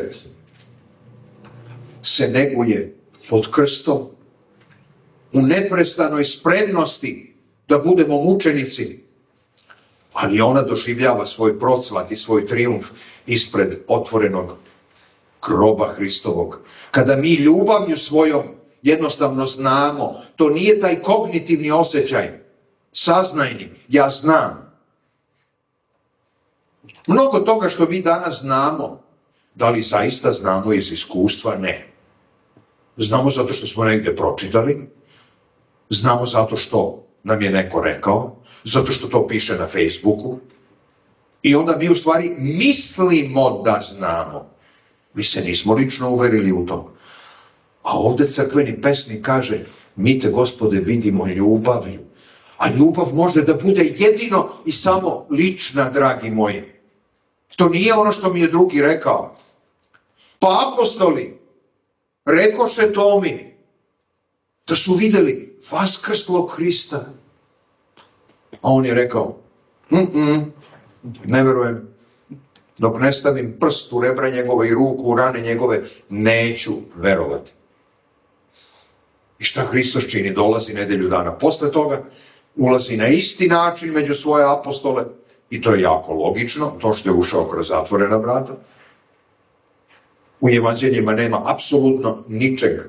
se neguje pod krstom u neprestanoj spremnosti da budemo mučenici, ali ona doživljava svoj procvat i svoj trijumf ispred otvorenog groba Hristovog. Kada mi ljubavlju svojom jednostavno znamo, to nije taj kognitivni osjećaj, saznajni, ja znam. Mnogo toga što mi danas znamo, da li zaista znamo iz iskustva? Ne. Znamo zato što smo negde pročitali, znamo zato što nam je neko rekao, zato što to piše na Facebooku, i onda mi u stvari mislimo da znamo. Mi se nismo lično uverili u to. A ovde crkveni pesnik kaže, mi te, Gospode, vidimo ljubavlju. A ljubav može da bude jedino i samo lična, dragi moji. To nije ono što mi je drugi rekao. Pa apostoli rekoše Tomi da su videli vaskrslog Hrista. A on je rekao, mm-mm, ne verujem. Dok ne stavim prst u rebra njegove i ruku u rane njegove, neću verovati. I šta Hristos čini? Dolazi nedelju dana posle toga, ulazi na isti način među svoje apostole, i to je jako logično, to što je ušao kroz zatvorena vrata. U evanđeljima nema apsolutno ničeg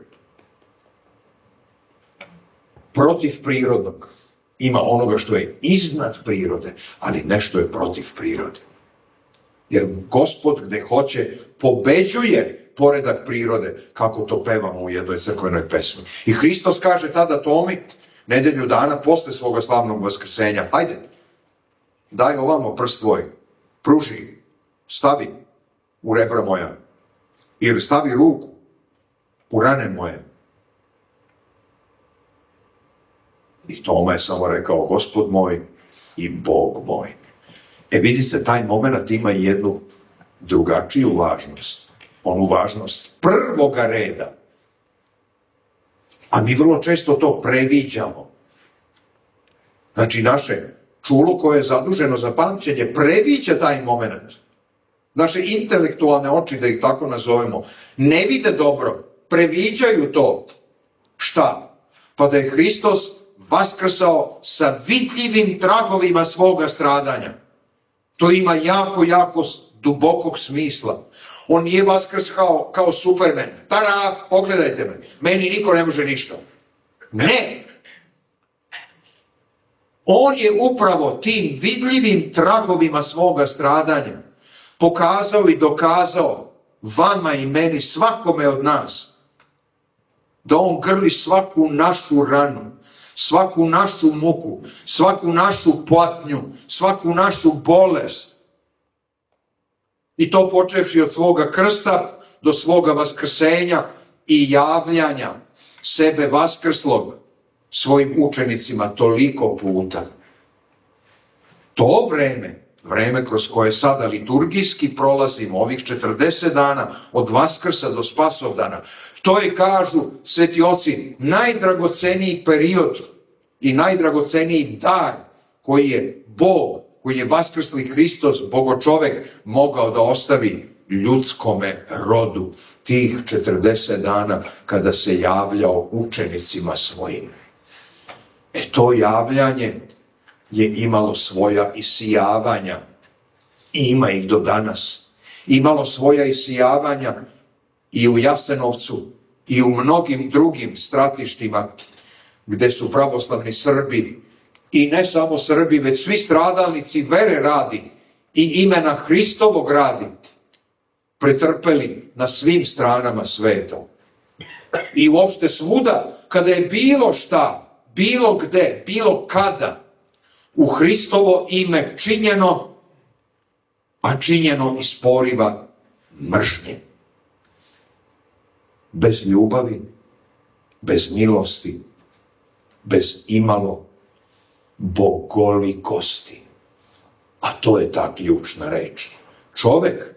protiv prirodnog. Ima onoga što je iznad prirode, ali nešto je protiv prirode. Jer Gospod gde hoće pobeđuje poredak prirode, kako to pevamo u jednoj crkvenoj pesmi. I Hristos kaže tada Tomi, nedelju dana posle svoga slavnog vaskrsenja, hajde, daj ovamo prst tvoj, pruži, stavi u rebra moja, ili stavi ruku u rane moje. I Toma je samo rekao Gospod moj i Bog moj. E vidite, taj moment ima jednu drugačiju važnost. Onu važnost prvoga reda. A mi vrlo često to previđamo. Znači naše čulo koje je zaduženo za pamćenje previđa taj moment. Naše intelektualne oči, da ih tako nazovemo, ne vide dobro, previđaju to. Šta? Pa da je Hristos vaskrsao sa vidljivim tragovima svoga stradanja. To ima jako, jako dubokog smisla. On nije vaskrskao kao Superman. Tada, pogledajte me, meni niko ne može ništa. Ne! On je upravo tim vidljivim tragovima svoga stradanja pokazao i dokazao vama i meni, svakome od nas, da on grli svaku našu ranu, svaku našu muku, svaku našu patnju, svaku našu bolest. I to počevši od svoga krsta do svoga vaskrsenja i javljanja sebe vaskrslog svojim učenicima toliko puta. To vreme, vreme kroz koje sada liturgijski prolazimo, ovih četrdeset dana, od Vaskrsa do Spasovdana, to je, kažu sveti oci, najdragoceniji period i najdragoceniji dar koji je Bog, koji je vaskrsli Hristos, Bogočovek, mogao da ostavi ljudskome rodu tih četrdeset dana kada se javljao učenicima svojim. E to javljanje je imalo svoja isijavanja i ima ih do danas. Imalo svoja isijavanja i u Jasenovcu i u mnogim drugim stratištima gde su pravoslavni Srbi i ne samo Srbi, već svi stradalnici vere radi i imena Hristovog radi pretrpeli na svim stranama sveta. I uopšte svuda, kada je bilo šta, bilo gde, bilo kada, u Hristovo ime činjeno, a činjeno iz poriva mržnje. Bez ljubavi, bez milosti, bez imalo bogolikosti. A to je ta ključna reč. Čovek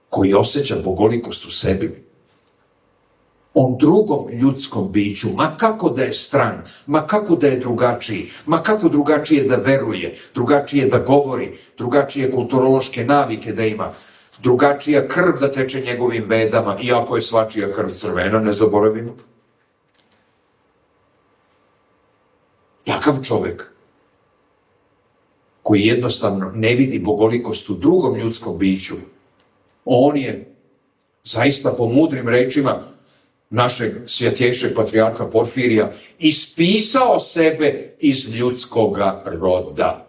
koji osjeća bogolikost u sebi, on drugom ljudskom biću, ma kako da je stran, ma kako da je drugačiji, ma kako drugačije da veruje, drugačije da govori, drugačije kulturološke navike da ima, drugačija krv da teče njegovim vedama, iako je svačija krv crvena, ne zaboravimo. Takav čovek, koji jednostavno ne vidi bogolikost u drugom ljudskom biću, on je, zaista po mudrim rečima našeg svjetjejšeg patrijarha Porfirija, ispisao sebe iz ljudskoga roda.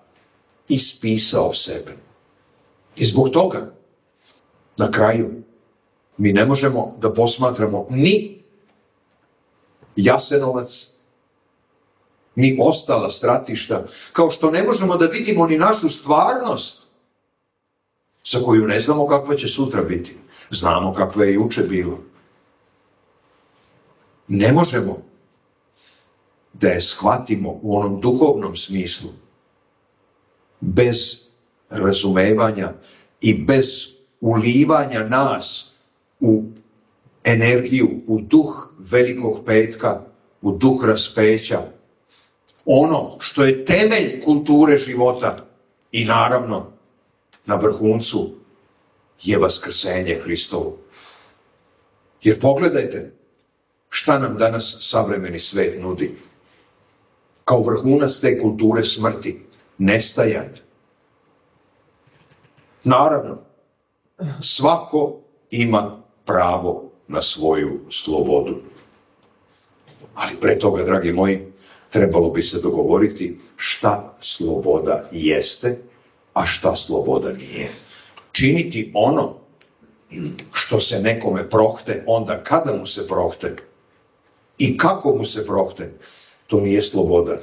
Ispisao sebe. I zbog toga, na kraju, mi ne možemo da posmatramo ni Jasenovac, ni ostala stratišta, kao što ne možemo da vidimo ni našu stvarnost, za koju ne znamo kakva će sutra biti. Znamo kakva je juče bilo. Ne možemo da je shvatimo u onom duhovnom smislu bez razumevanja i bez ulivanja nas u energiju, u duh Velikog petka, u duh raspeća, ono što je temelj kulture života i naravno na vrhuncu je vaskrsenje Hristovo. Jer pogledajte šta nam danas savremeni svet nudi. Kao vrhunac te kulture smrti, nestajanja. Naravno, svako ima pravo na svoju slobodu. Ali pre toga, dragi moji, trebalo bi se dogovoriti šta sloboda jeste, a šta sloboda nije. Činiti ono što se nekome prohte, onda kada mu se prohte i kako mu se prohte, to nije sloboda.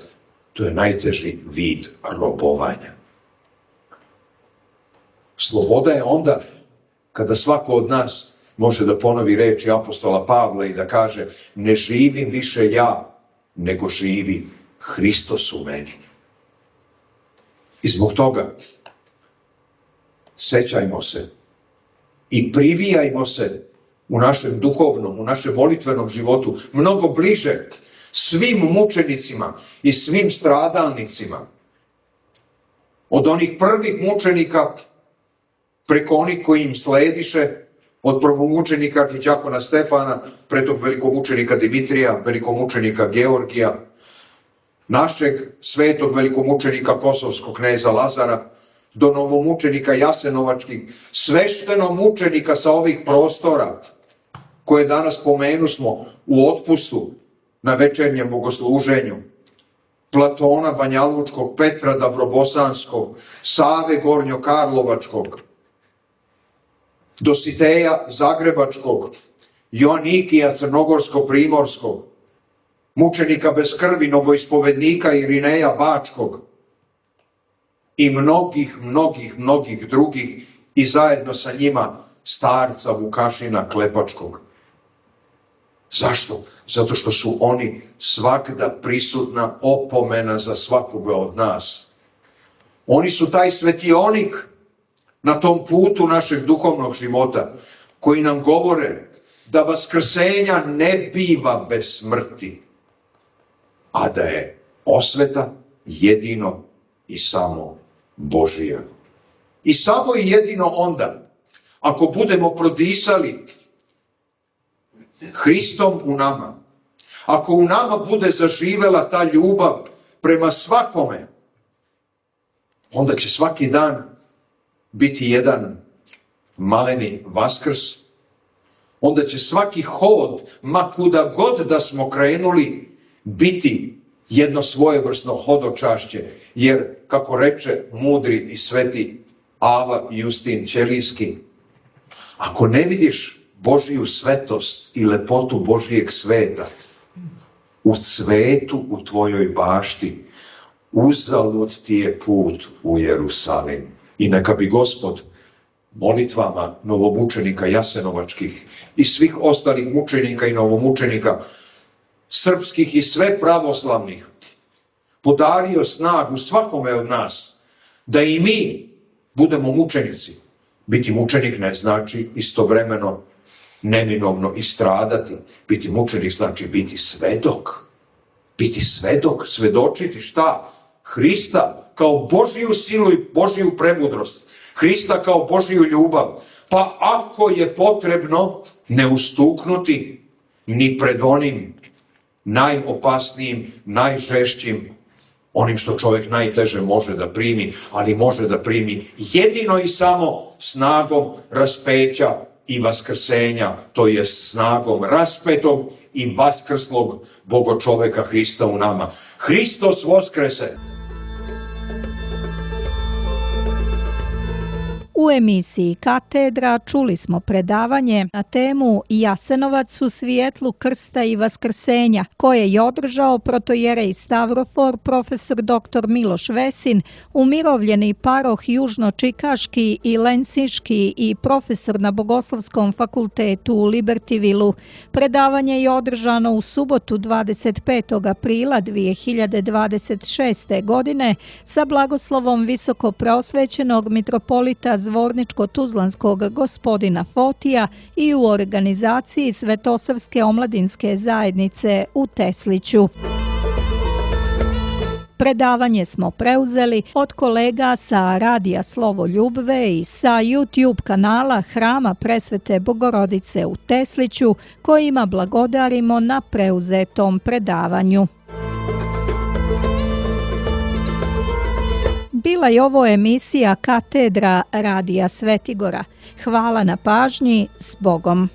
To je najteži vid robovanja. Sloboda je onda kada svako od nas može da ponovi reči apostola Pavla i da kaže: ne živim više ja, nego živi Hristos u meni. I zbog toga sećajmo se i privijajmo se u našem duhovnom, u našem molitvenom životu mnogo bliže svim mučenicima i svim stradalnicima. Od onih prvih mučenika preko onih koji im slediše, od prvomučenika arhiđakona Stefana, pretog velikomučenika Dimitrija, velikomučenika Georgija, našeg svetog velikomučenika kosovskog kneza Lazara, do novomučenika Jasenovačkih, sveštenomučenika sa ovih prostora, koje danas pomenusmo u otpustu na večernjem bogosluženju, Platona Banjalučkog, Petra Dabrobosanskog, Save Gornjokarlovačkog, Dositeja Zagrebačkog, Joanikija Crnogorsko-Primorskog, mučenika bez krvi, novoispovednika Irineja Bačkog i mnogih, mnogih, mnogih drugih i zajedno sa njima starca Vukašina Klepačkog. Zašto? Zato što su oni svakda prisutna opomena za svakoga od nas. Oni su taj svetionik na tom putu našeg duhovnog života, koji nam govore da vaskrsenja ne biva bez smrti, a da je osveta jedino i samo Božija. I samo i jedino onda, ako budemo prodisali Hristom u nama, ako u nama bude zaživela ta ljubav prema svakome, onda će svaki dan biti jedan maleni Vaskrs, onda će svaki hod, ma kuda god da smo krenuli, biti jedno svojevrsno hodočašće, jer, kako reče mudri i sveti Ava Justin Ćelijski, ako ne vidiš Božiju svetost i lepotu Božijeg sveta u cvetu u tvojoj bašti, uzalud ti je put u Jerusalim. I neka bi Gospod molitvama novomučenika Jasenovačkih i svih ostalih mučenika i novomučenika srpskih i sve pravoslavnih podario snagu svakome od nas da i mi budemo mučenici. Biti mučenik ne znači istovremeno neminovno i stradati. Biti mučenik znači biti svedok. Biti svedok, svedočiti šta? Hrista kao Božiju silu i Božiju premudrost. Hrista kao Božiju ljubav. Pa ako je potrebno, ne ustuknuti ni pred onim najopasnijim, najžešćim, onim što čovjek najteže može da primi, ali može da primi jedino i samo snagom raspeća i vaskrsenja, to je snagom raspetog i vaskrslog Bogočoveka Hrista u nama. Hristos voskrese! U emisiji Katedra čuli smo predavanje na temu Jasenovac u svijetlu krsta i vaskrsenja, koje je održao protojerej Stavrofor profesor doktor Miloš Vesin, umirovljeni paroh Južno-Čikaški i Lensinški i profesor na Bogoslovskom fakultetu u Libertyvilu. Predavanje je održano u subotu dvadeset petog aprila dvije hiljade dvadeset šeste. godine sa blagoslovom visoko preosvećenog mitropolita Zvorničko-Tuzlanskog gospodina Fotija i u organizaciji Svetosavske omladinske zajednice u Tesliću. Predavanje smo preuzeli od kolega sa Radija Slovo Ljubve i sa YouTube kanala Hrama Presvete Bogorodice u Tesliću, kojima blagodarimo na preuzetom predavanju. Bila je ovo emisija Katedra Radija Svetigora. Hvala na pažnji, s Bogom!